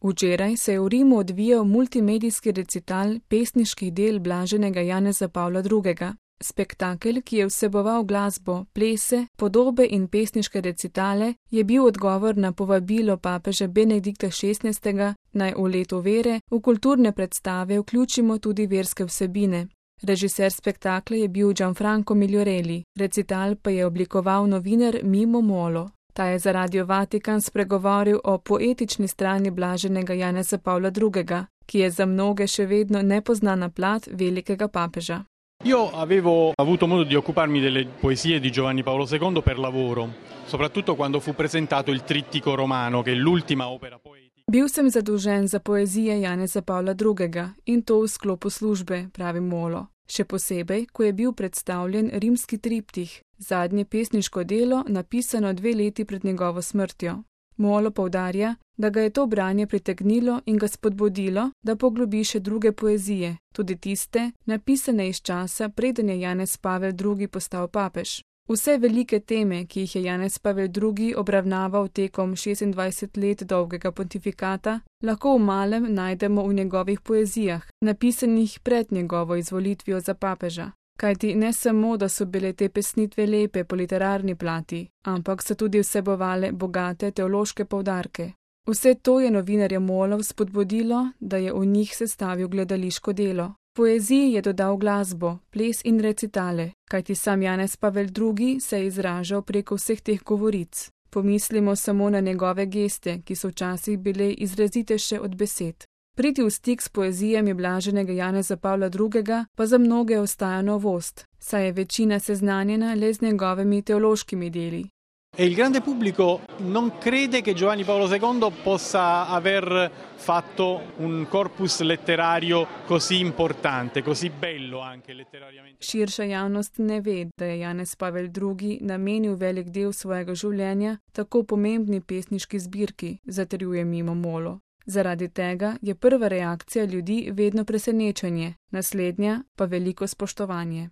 Včeraj se je v Rimu odvijal multimedijski recital pesniških del blaženega Janeza Pavla II. Spektakel, ki je vseboval glasbo, plese, podobe in pesniške recitale, je bil odgovor na povabilo papeža Benedikta XVI. Naj v letu vere v kulturne predstave vključimo tudi verske vsebine. Režiser spektakla je bil Gianfranco Migliorelli, recital pa je oblikoval novinar Mimo Molo. Ta je za Radio Vatikan spregovoril o poetični strani blaženega Janeza Pavla II., ki je za mnoge še vedno nepoznana plat velikega papeža. Io avevo avuto modo di occuparmi delle poesie di Giovanni Paolo II per lavoro, soprattutto quando fu presentato il Trittico Romano, che è l'ultima opera poetica. Bil sem zadolžen za poezije Janeza Pavla II. In to v sklopu službe, pravi Molo. Še posebej, ko je bil predstavljen rimski triptih, zadnje pesniško delo, napisano 2 leti pred njegovo smrtjo. Molo poudarja, da ga je to branje pritegnilo in ga spodbudilo, da poglobi še druge poezije, tudi tiste, napisane iz časa, preden je Janez Pavel II. Postal papež. Vse velike teme, ki jih je Janez Pavel II. Obravnaval tekom 26 let dolgega pontifikata, lahko v malem najdemo v njegovih poezijah, napisanih pred njegovo izvolitvijo za papeža. Kajti ne samo, da so bile te pesnitve lepe po literarni plati, ampak so tudi vsebovale bogate teološke poudarke. Vse to je novinarja Molov spodbudilo, da je v njih sestavil gledališko delo. Poeziji je dodal glasbo, ples in recitale, kajti sam Janez Pavel II. Se je izražal preko vseh teh govoric. Pomislimo samo na njegove geste, ki so včasih bile izrazitejše od besed. Priti v stik s poezijami blaženega Janeza Pavla II. Pa za mnoge ostaja novost, saj je večina seznanjena le z njegovimi teološkimi deli. E il grande pubblico non crede che Giovanni Paolo II possa aver fatto un corpus letterario così importante, così bello anche letterariamente. Širša javnost ne ve, da je Janez Pavel II. Namenil velik del svojega življenja tako pomembni pesniški zbirki, zatrjuje Mimo Molo. Zaradi tega je prva reakcija ljudi vedno presenečenje, naslednja pa veliko spoštovanje.